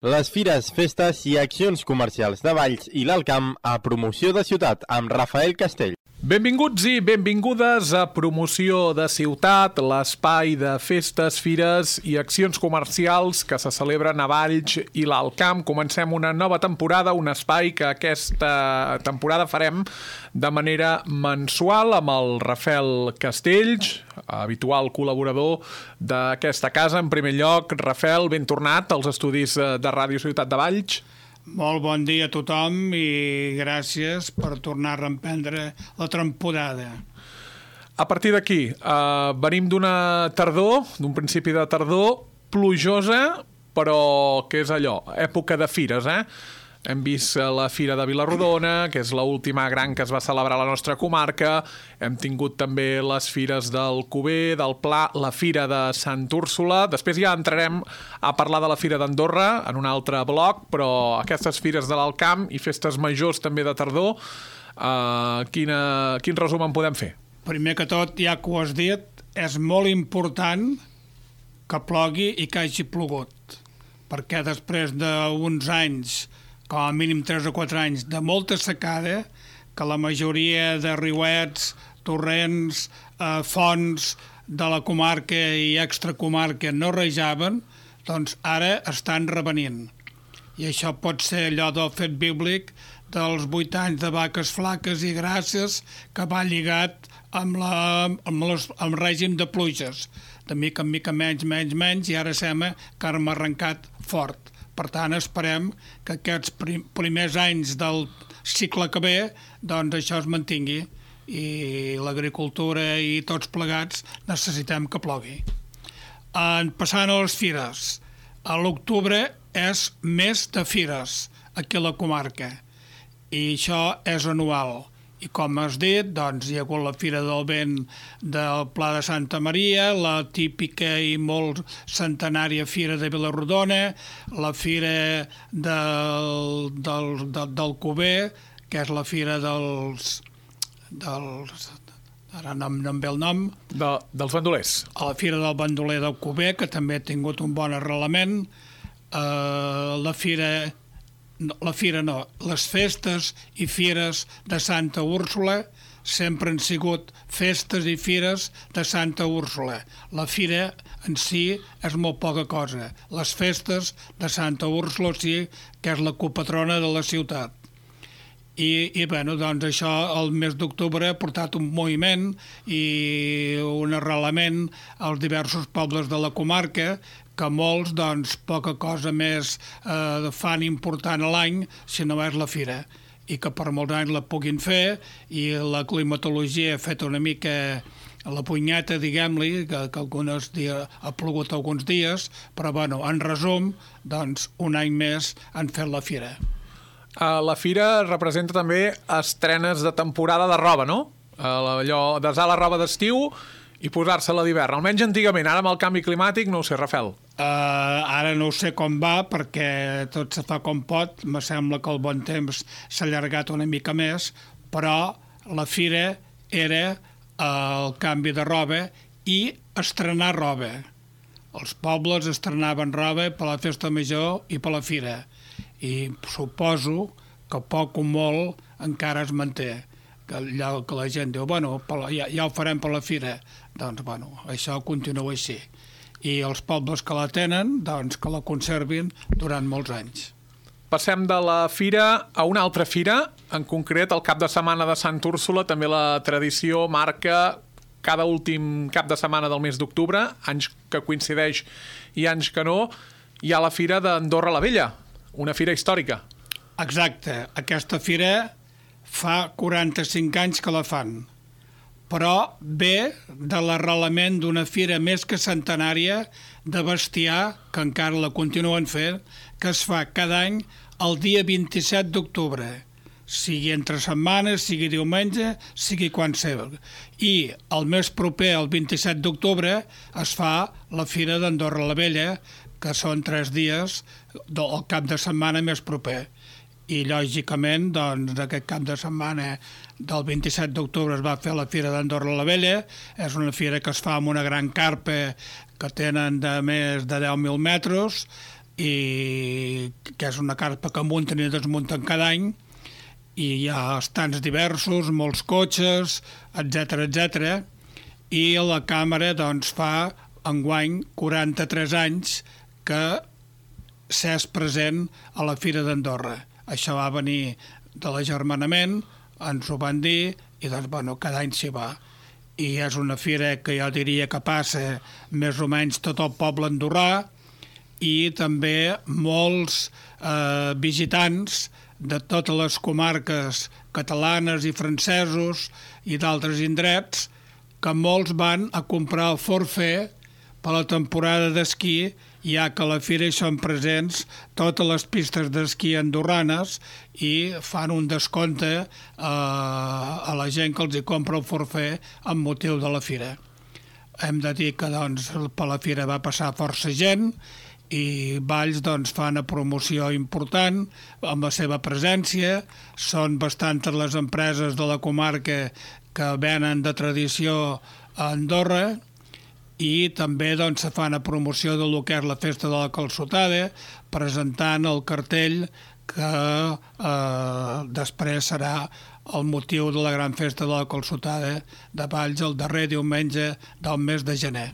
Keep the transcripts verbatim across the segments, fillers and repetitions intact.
Les fires, festes i accions comercials de Valls i l'Alt Camp a Promoció de Ciutat amb Rafael Castell. Benvinguts i benvingudes a Promoció de Ciutat, l'espai de festes, fires i accions comercials que se celebren a Valls i l'Alt Camp. Comencem una nova temporada, un espai que aquesta temporada farem de manera mensual amb el Rafael Castells, habitual col·laborador d'aquesta casa. En primer lloc, Rafael, ben tornat als estudis de Ràdio Ciutat de Valls. Molt bon dia a tothom i gràcies per tornar a reemprendre la temporada. A partir d'aquí, eh, venim d'una tardor, d'un principi de tardor, plujosa, però què és allò? Època de fires, eh? Hem vist la Fira de Vila-rodona, que és l'última gran que es va celebrar a la nostra comarca. Hem tingut també les fires d'Alcover, del Pla, la Fira de Sant Úrsula. Després ja entrarem a parlar de la Fira d'Andorra en un altre bloc, però aquestes fires de l'Alt Camp i festes majors també de tardor, eh, quina, quin resum en podem fer? Primer que tot, ja que ho has dit, és molt important que plogui i que hagi plogut, perquè després d'uns anys, com a mínim tres o quatre anys, de molta secada, que la majoria de riuets, torrents, eh, fonts de la comarca i extracomarca no rejaven, doncs ara estan revenint. I això pot ser allò del fet bíblic dels vuit anys de vaques flaques i grasses que va lligat amb, la, amb, les, amb el règim de pluges. De mica en mica menys, menys, menys, i ara sembla que hem arrencat fort. Per tant, esperem que aquests prim, primers anys del cicle que ve, doncs això es mantingui i l'agricultura i tots plegats necessitem que plogui. En passant a les fires, a l'octubre és mes de fires aquí a la comarca i això és anual. I com has dit, doncs, hi ha hagut la Fira del Vent del Pla de Santa Maria, la típica i molt centenària Fira de Vila-rodona, la Fira del, del, del, del Cover, que és la Fira dels... dels ara no, no em ve el nom. De, dels bandolers. A la Fira del Bandoler del Cover, que també ha tingut un bon arrelament. Uh, la Fira... La fira no, les festes i fires de Santa Úrsula sempre han sigut festes i fires de Santa Úrsula. La fira en si és molt poca cosa. Les festes de Santa Úrsula sí que és la copatrona de la ciutat. I, i bueno, doncs això el mes d'octubre ha portat un moviment i un arrelament als diversos pobles de la comarca que molts, doncs, poca cosa més eh, fan important a l'any si no és la fira, i que per molts anys la puguin fer, i la climatologia ha fet una mica la punyeta, diguem-li, que, que alguns dies, ha plogut alguns dies, però, bueno, en resum, doncs, un any més han fet la fira. Uh, la fira representa també estrenes de temporada de roba, no? Uh, allò, desar la roba d'estiu i posar-se-la d'hivern. Almenys antigament, ara amb el canvi climàtic, no ho sé, Rafael. Uh, ara no sé com va, perquè tot se fa com pot. Me sembla que el bon temps s'ha allargat una mica més, però la fira era uh, el canvi de roba i estrenar roba. Els pobles estrenaven roba per la festa major i per la fira. I suposo que poc o molt encara es manté. Que, allà, que la gent diu, bueno, ja, ja ho farem per la fira. Doncs, bueno, això continua així. I els pobles que la tenen, doncs, que la conservin durant molts anys. Passem de la fira a una altra fira, en concret el cap de setmana de Sant Úrsula. També la tradició marca cada últim cap de setmana del mes d'octubre, anys que coincideix i anys que no, hi ha la fira d'Andorra la Vella, una fira històrica. Exacte, aquesta fira fa quaranta-cinc anys que la fan, però ve de l'arrelament d'una fira més que centenària de bestiar, que encara la continuen fent, que es fa cada any el dia vint-i-set d'octubre, sigui entre setmanes, sigui diumenge, sigui quan sigui. I el mes proper, el vint-i-set d'octubre, es fa la Fira d'Andorra la Vella, que són tres dies del cap de setmana més proper. I, lògicament, doncs, aquest cap de setmana del vint-i-set d'octubre es va fer la Fira d'Andorra la Vella. És una fira que es fa amb una gran carpa que tenen de més de deu mil metres i que és una carpa que munten i desmunten cada any, i hi ha estants diversos, molts cotxes, etcètera, etcètera, i la càmera doncs, fa enguany quaranta-tres anys que s'és present a la Fira d'Andorra. Això va venir de l'agermanament, ens ho van dir, i doncs, bueno, cada any s'hi va. I és una fira que jo diria que passa més o menys tot el poble andorrà, i també molts eh, visitants de totes les comarques catalanes i francesos i d'altres indrets, que molts van a comprar el forfait per la temporada d'esquí, ja que a la fira hi són presents totes les pistes d'esquí andorranes i fan un descompte eh, a la gent que els hi compra el forfait amb motiu de la fira. Hem de dir que doncs, per la fira va passar força gent i Valls doncs, fa una promoció important amb la seva presència. Són bastantes les empreses de la comarca que venen de tradició a Andorra, i també doncs, se fa una promoció de lo que és la Festa de la Calçotada, presentant el cartell que eh, després serà el motiu de la gran Festa de la Calçotada de Valls el darrer diumenge del mes de gener.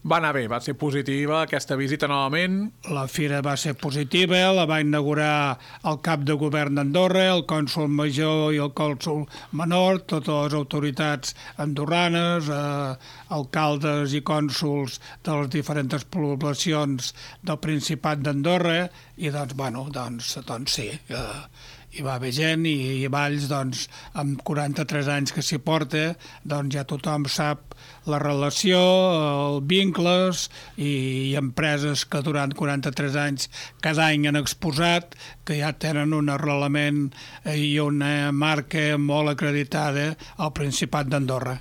Va anar bé, va ser positiva aquesta visita novament. La fira va ser positiva, la va inaugurar el cap de govern d'Andorra, el cònsol major i el cònsol menor, totes les autoritats andorranes, eh, alcaldes i cònsols de les diferents poblacions del Principat d'Andorra, i doncs, bueno, doncs, doncs sí, eh, hi va haver gent, i, i Valls, doncs, amb quaranta-tres anys que s'hi porta, doncs ja tothom sap la relació, els vincles i, i empreses que durant quaranta-tres anys cada any han exposat, que ja tenen un arrelament i una marca molt acreditada al Principat d'Andorra.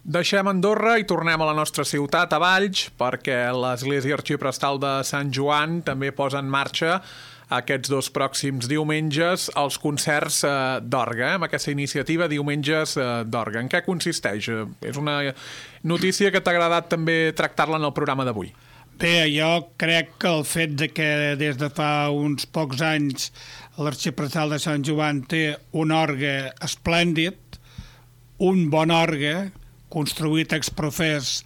Deixem Andorra i tornem a la nostra ciutat, a Valls, perquè l'Església Arxiprestal de Sant Joan també posa en marxa aquests dos pròxims diumenges els concerts eh, d'orgue, eh, amb aquesta iniciativa Diumenges eh, d'Orgue. En què consisteix? Eh, és una notícia que t'ha agradat també tractar-la en el programa d'avui. Bé, jo crec que el fet de que des de fa uns pocs anys l'Arxiprestal de Sant Joan té un orgue esplèndid, un bon orgue, construït exprofés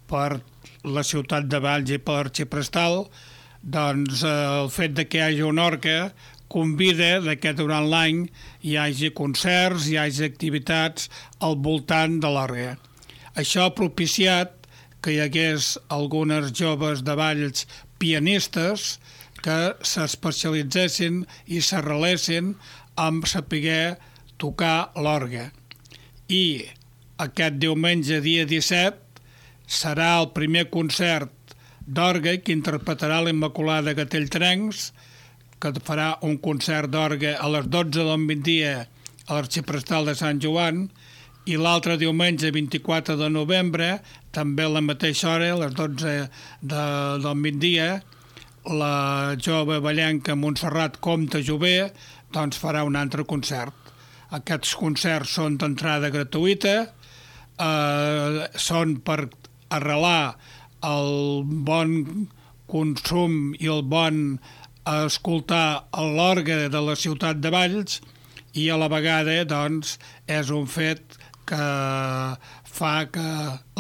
per la ciutat de Valls i per l'Arxiprestal, doncs eh, el fet de que hi hagi un orgue convida que durant l'any hi hagi concerts, hi hagi activitats al voltant de l'orgue. Això ha propiciat que hi hagués algunes joves de Valls pianistes que s'especialitzessin i s'arrelessin amb saber tocar l'orgue. I aquest diumenge, dia disset, serà el primer concert d'orgue que interpretarà l'Immaculada Gatell-Trencs, que farà un concert d'orgue a les dotze del migdia a l'Arxiprestal de Sant Joan, i l'altre diumenge, vint-i-quatre de novembre, també a la mateixa hora, a les dotze de, del migdia, la jove ballenca Montserrat Comte Jové doncs farà un altre concert. Aquests concerts són d'entrada gratuïta, eh, són per arrelar el bon consum i el bon escoltar l'orgue de la ciutat de Valls, i a la vegada doncs, és un fet que fa que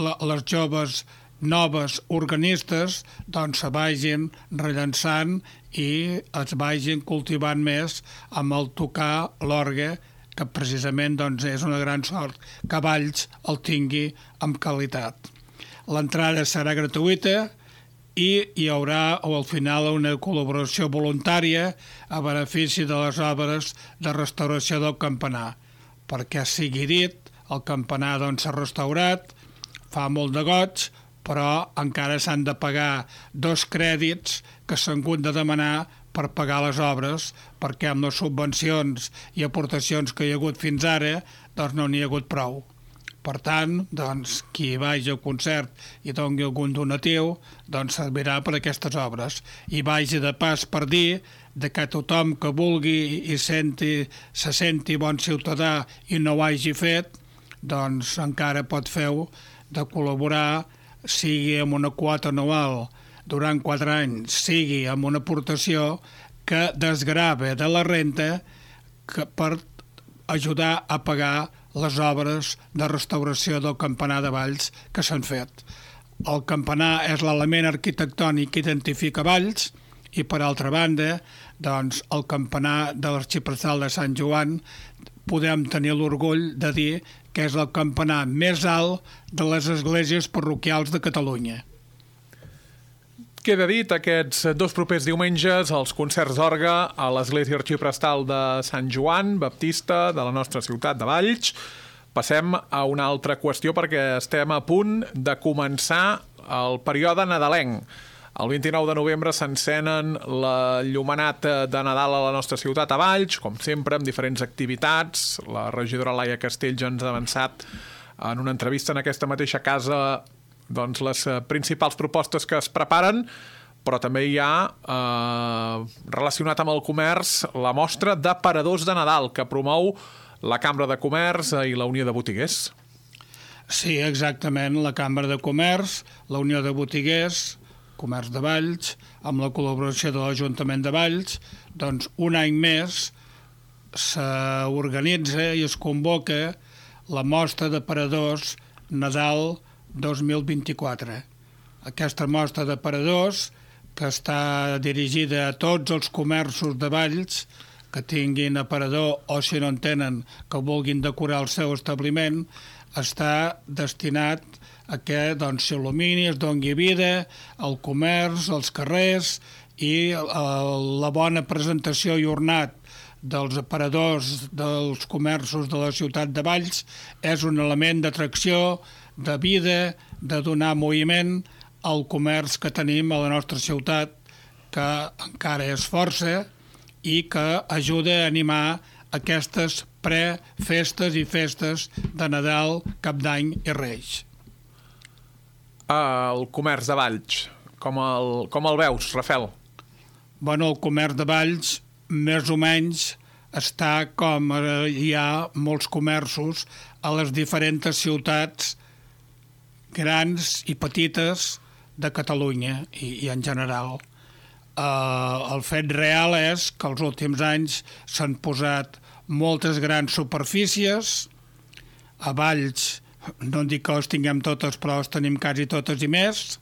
les joves noves organistes doncs, se vagin rellançant i es vagin cultivant més amb el tocar l'orgue, que precisament doncs, és una gran sort que Valls el tingui amb qualitat. L'entrada serà gratuïta i hi haurà al final una col·laboració voluntària a benefici de les obres de restauració del campanar. Perquè sigui dit, el campanar doncs, s'ha restaurat, fa molt de goig, però encara s'han de pagar dos crèdits que s'han hagut de demanar per pagar les obres, perquè amb les subvencions i aportacions que hi ha hagut fins ara doncs no n'hi ha hagut prou. Per tant, doncs, qui vagi al concert i doni algun donatiu, doncs servirà per aquestes obres. I vagi de pas per dir de que tothom que vulgui i senti, se senti bon ciutadà i no ho hagi fet, doncs encara pot fer-ho de col·laborar, sigui amb una quota anual durant quatre anys sigui amb una aportació que desgrava de la renta que per ajudar a pagar les obres de restauració del campanar de Valls que s'han fet. El campanar és l'element arquitectònic que identifica Valls i, per altra banda, doncs, el campanar de l'arxiprestal de Sant Joan podem tenir l'orgull de dir que és el campanar més alt de les esglésies parroquials de Catalunya. Queda dit, aquests dos propers diumenges, els concerts d'orgue a l'Església Arxiprestal de Sant Joan Baptista de la nostra ciutat de Valls. Passem a una altra qüestió perquè estem a punt de començar el període nadalenc. El vint-i-nou de novembre s'encenen l'enllumenat de Nadal a la nostra ciutat a Valls, com sempre, amb diferents activitats. La regidora Laia Castell ja ens ha avançat en una entrevista en aquesta mateixa casa doncs, les principals propostes que es preparen, però també hi ha, eh, relacionat amb el comerç, la mostra d'aparadors de Nadal que promou la Cambra de Comerç i la Unió de Botiguers. Sí, exactament, la Cambra de Comerç, la Unió de Botiguers, Comerç de Valls, amb la col·laboració de l'Ajuntament de Valls, doncs un any més s'organitza i es convoca la mostra d'aparadors Nadal dos mil vint-i-quatre. Aquesta mostra d'aparadors, que està dirigida a tots els comerços de Valls que tinguin aparador o, si no en tenen, que vulguin decorar el seu establiment, està destinat a que doncs, s'il·lumini, es doni vida al comerç, als carrers i la bona presentació i ornat dels aparadors dels comerços de la ciutat de Valls és un element d'atracció, de vida, de donar moviment al comerç que tenim a la nostra ciutat, que encara és força i que ajuda a animar aquestes pre-festes i festes de Nadal, Cap d'Any i Reis. El comerç de Valls, com el, com el veus, Rafael? Bueno, el comerç de Valls, més o menys, està com hi ha molts comerços a les diferents ciutats grans i petites de Catalunya i, i en general. Uh, el fet real és que els últims anys s'han posat moltes grans superfícies. A Valls, no dic que les tinguem totes, però les tenim quasi totes i més.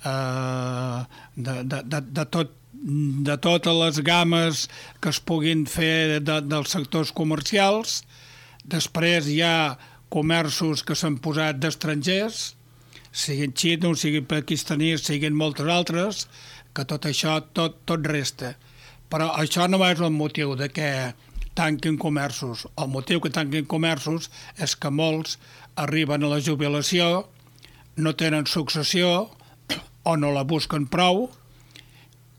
Uh, de, de, de, de, tot, de totes les gammes que es puguin fer de, dels sectors comercials. Després hi ha comerços que s'han posat d'estrangers, siguin xinos, siguin pakistanis, siguin moltes altres, que tot això, tot, tot resta. Però això no és el motiu de que tanquin comerços. El motiu que tanquin comerços és que molts arriben a la jubilació, no tenen successió o no la busquen prou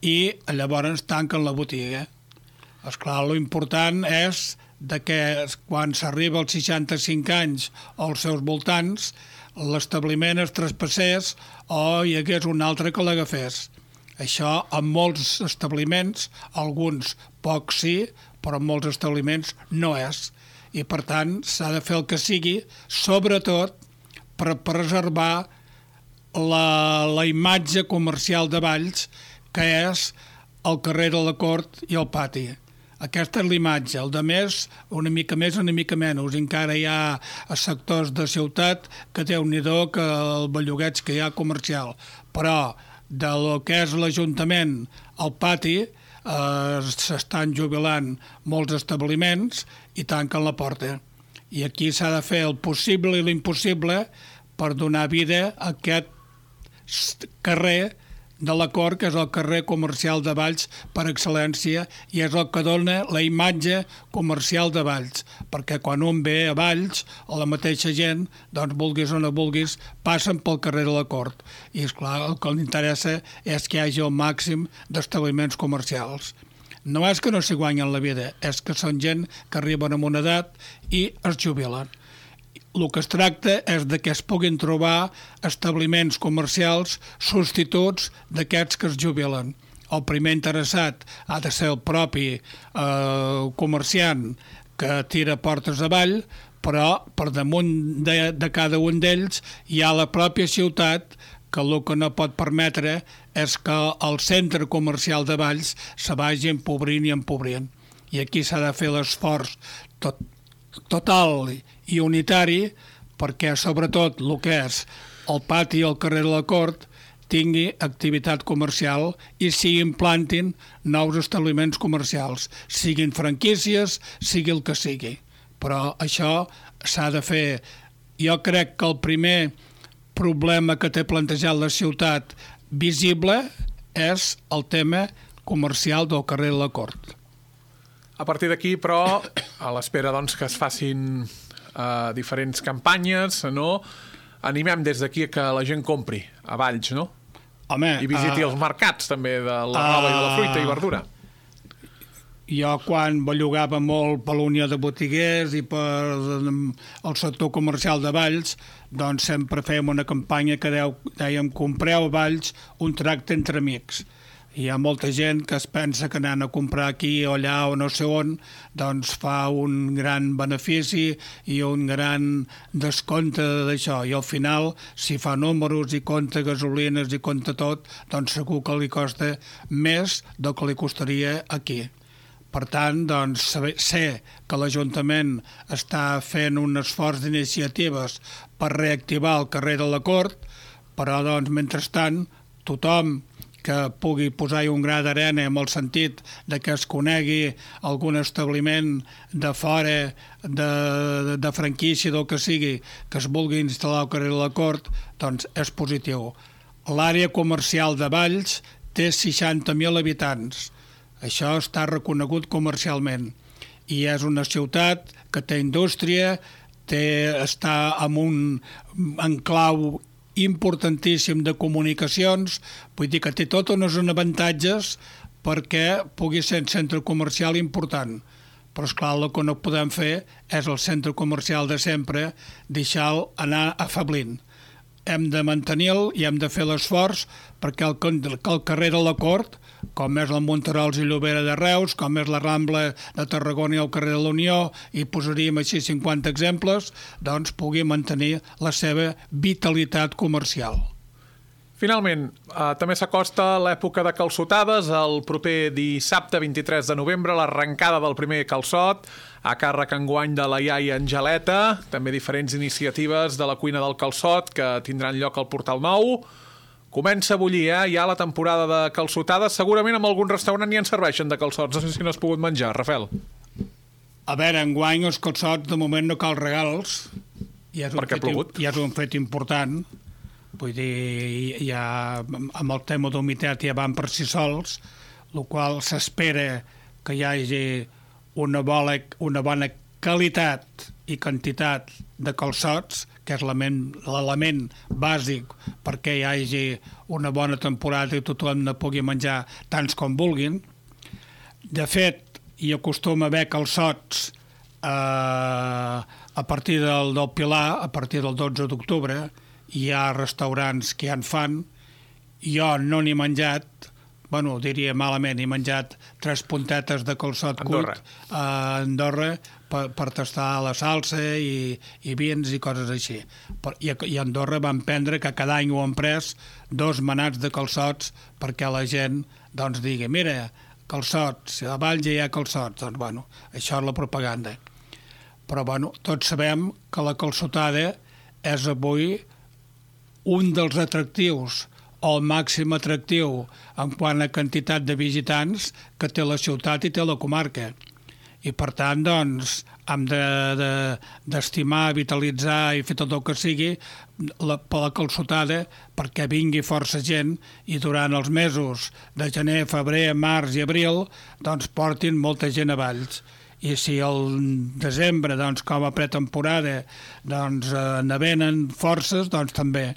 i llavors tanquen la botiga. Esclar, l'important és de que quan s'arriba als seixanta-cinc anys o als seus voltants, l'establiment es traspassés o hi hagués un altre que l'agafés. Això en molts establiments, alguns pocs sí, però en molts establiments no és. I per tant s'ha de fer el que sigui, sobretot per preservar la, la imatge comercial de Valls, que és el carrer de la Cort i el pati. Aquesta és l'imatge. El de més, una mica més, una mica menys. Encara hi ha sectors de ciutat que déu-n'hi-do que el bellugueig que hi ha comercial. Però de lo que és l'Ajuntament al pati eh, s'estan jubilant molts establiments i tanquen la porta. I aquí s'ha de fer el possible i l'impossible per donar vida a aquest carrer de la Cort, que és el carrer comercial de Valls per excel·lència i és el que dona la imatge comercial de Valls, perquè quan un ve a Valls, o la mateixa gent, doncs vulguis o no vulguis, passen pel carrer de la Cort. I esclar, el que li interessa és que hi hagi el màxim d'establiments comercials. No és que no s'hi guanyen la vida, és que són gent que arriben a una edat i es jubilen. El que es tracta és de que es puguin trobar establiments comercials substituts d'aquests que es jubilen. El primer interessat ha de ser el propi eh, comerciant que tira portes avall, però per damunt de, de cada un d'ells hi ha la pròpia ciutat que el que no pot permetre és que el centre comercial de Valls se vagi empobrint i empobrint. I aquí s'ha de fer l'esforç tot, total i unitari perquè, sobretot, el que és el pati i el carrer de la Cort tingui activitat comercial i s'hi implantin nous establiments comercials, siguin franquícies, sigui el que sigui. Però això s'ha de fer. Jo crec que el primer problema que té plantejat la ciutat visible és el tema comercial del carrer de la Cort. A partir d'aquí, però, a l'espera doncs, que es facin eh, diferents campanyes, no? Animem des d'aquí que la gent compri a Valls, no? Home, I visiti uh, els mercats, també, de la roba uh, i de la fruita i verdura. Jo, quan bellugava molt per la Unió de Botiguers i per el sector comercial de Valls, doncs sempre fèiem una campanya que deu, dèiem compreu a Valls un tracte entre amics. Hi ha molta gent que es pensa que anant a comprar aquí o allà o no sé on, doncs fa un gran benefici i un gran descompte d'això. I al final, si fa números i compta gasolines i compta tot, doncs segur que li costa més del que li costaria aquí. Per tant, doncs, sé que l'Ajuntament està fent un esforç d'iniciatives per reactivar el carrer de la Cort, però, doncs, mentrestant, tothom que pugui posar-hi un gra d'arena en el sentit de que es conegui algun establiment de fora, de, de, de franquícia, del que sigui, que es vulgui instal·lar al carrer de la Cort, doncs és positiu. L'àrea comercial de Valls té seixanta mil habitants. Això està reconegut comercialment i és una ciutat que té indústria, té, està en un enclau importantíssim de comunicacions, vull dir que té tots uns avantatges perquè pugui ser un centre comercial important. Però, esclar, el que no podem fer és el centre comercial de sempre, deixar-lo anar afablint. Hem de mantenir-lo i hem de fer l'esforç perquè el, el carrer de la Cort, com és el Monterols i Llobera de Reus, com és la Rambla de Tarragona i el carrer de la Unió, i posaríem així cinquanta exemples, doncs pugui mantenir la seva vitalitat comercial. Finalment, eh, també s'acosta l'època de calçotades. El proper dissabte vint-i-tres de novembre, l'arrencada del primer calçot, a càrrec enguany de la iaia Angeleta, també diferents iniciatives de la cuina del calçot que tindran lloc al Portal Nou. Comença a bullir, eh? Ja la temporada de calçotades. Segurament en algun restaurant ja en serveixen de calçots. No sé si no has pogut menjar, Rafael. A veure, enguany els calçots de moment no cal regals. Ja és un perquè ha plogut. Ja és un fet important. Vull dir, ja amb el tema d'humitat ja van per si sols, el qual s'espera que hi hagi una bona, una bona qualitat i quantitat de calçots, que és l'element bàsic perquè hi hagi una bona temporada i tothom ne pugui menjar tants com vulguin. De fet, hi acostuma a haver calçots eh, a partir del, del Pilar, a partir del dotze d'octubre, hi ha restaurants que ja en fan. Jo no n'he menjat, bueno, diria malament, he menjat tres puntetes de calçot cuit a Andorra per, per tastar la salsa i, i vins i coses així. Per, i, I a Andorra van prendre, que cada any ho han pres, dos manats de calçots perquè la gent doncs digui, mira, calçots, a Valls ja hi ha calçots. Doncs, bueno, això és la propaganda. Però, bueno, tots sabem que la calçotada és avui un dels atractius o el màxim atractiu en quant a quantitat de visitants que té la ciutat i té la comarca. I, per tant, doncs, hem d'estimar, de, de, vitalitzar i fer tot el que sigui la, per la calçotada perquè vingui força gent i durant els mesos de gener, febrer, març i abril doncs portin molta gent a Valls. I si al desembre, doncs, com a pretemporada, doncs, eh, ne venen forces, doncs també.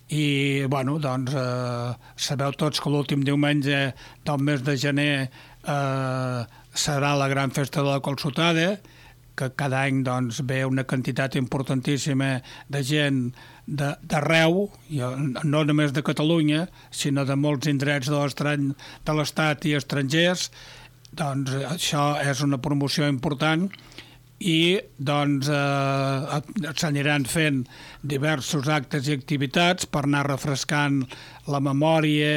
I, bueno, doncs, eh, sabeu tots que l'últim diumenge del mes de gener eh, serà la gran festa de la calçotada, que cada any doncs, ve una quantitat importantíssima de gent d'arreu, no només de Catalunya, sinó de molts indrets de l'Estat i estrangers. Doncs això és una promoció important i doncs eh, s'aniran fent diversos actes i activitats per anar refrescant la memòria,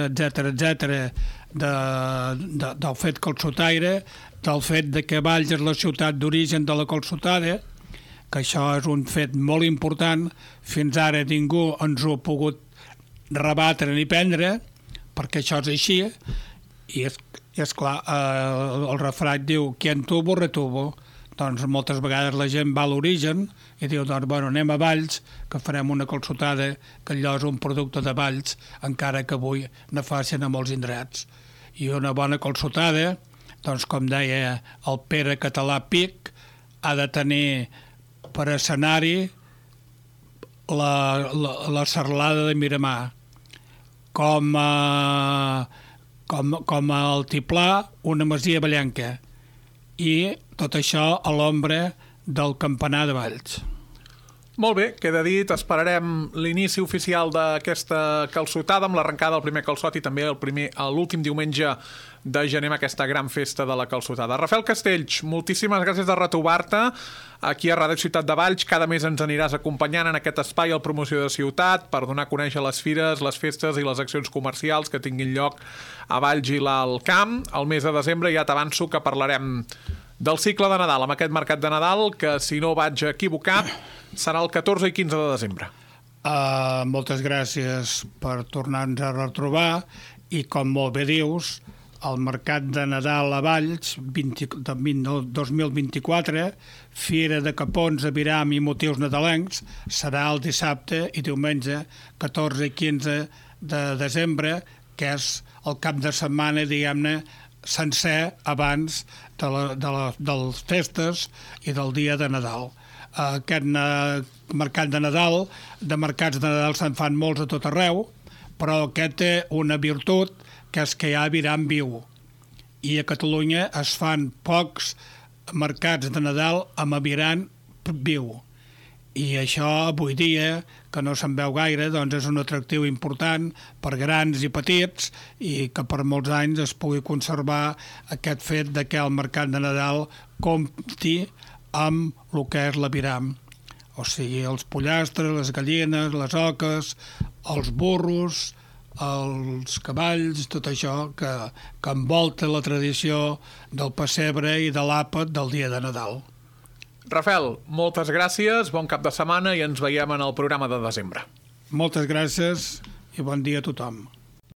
etcètera, etcètera, de, de, del fet calçotaire, del fet de que Valls és la ciutat d'origen de la calçotada, que això és un fet molt important. Fins ara ningú ens ho ha pogut rebatre ni prendre, perquè això és així, i és, i és clar, eh, el refrany diu quien tuvo, retuvo. Doncs moltes vegades la gent va a l'origen i diu, doncs, bueno, anem a Valls, que farem una calçotada, que allò és un producte de Valls, encara que avui ne facin a molts indrets. I una bona calçotada, doncs, com deia el Pere Català Pic, ha de tenir per escenari la, la, la serlada de Miramar, com a, com, com a Altiplà una masia ballenca, i tot això a l'ombra del campanar de Valls. Molt bé, queda dit. Esperarem l'inici oficial d'aquesta calçotada amb l'arrencada del primer calçot i també el primer l'últim diumenge de gener amb aquesta gran festa de la calçotada. Rafael Castells, moltíssimes gràcies de retrobar-te aquí a Ràdio Ciutat de Valls. Cada mes ens aniràs acompanyant en aquest espai al Promoció de Ciutat per donar a conèixer les fires, les festes i les accions comercials que tinguin lloc a Valls i l'Alt Camp. El mes de desembre ja t'avanço que parlarem del cicle de Nadal, amb aquest mercat de Nadal, que, si no vaig equivocar, serà el catorze i quinze de desembre. Uh, moltes gràcies per tornar-nos a retrobar, i com molt bé dius, el mercat de Nadal a Valls vint, dos mil vint-i-quatre, Fira de Capons, Aviram i motius nadalencs, serà el dissabte i diumenge catorze i quinze de desembre, que és el cap de setmana, diguem-ne, sencer abans de, la, de, la, de les festes i del dia de Nadal. Aquest uh, mercat de Nadal, de mercats de Nadal se'n fan molts a tot arreu, però aquest té una virtut, que és que hi ha Aviram viu. I a Catalunya es fan pocs mercats de Nadal amb Aviram viu. I això avui dia, que no se'n veu gaire, doncs és un atractiu important per grans i petits, i que per molts anys es pugui conservar aquest fet de que el mercat de Nadal compti amb el que és l'Aviram. O sigui, els pollastres, les gallines, les oques, els burros, els cavalls, tot això que, que envolta la tradició del pessebre i de l'àpat del dia de Nadal. Rafael, moltes gràcies, bon cap de setmana i ens veiem en el programa de desembre. Moltes gràcies i bon dia a tothom.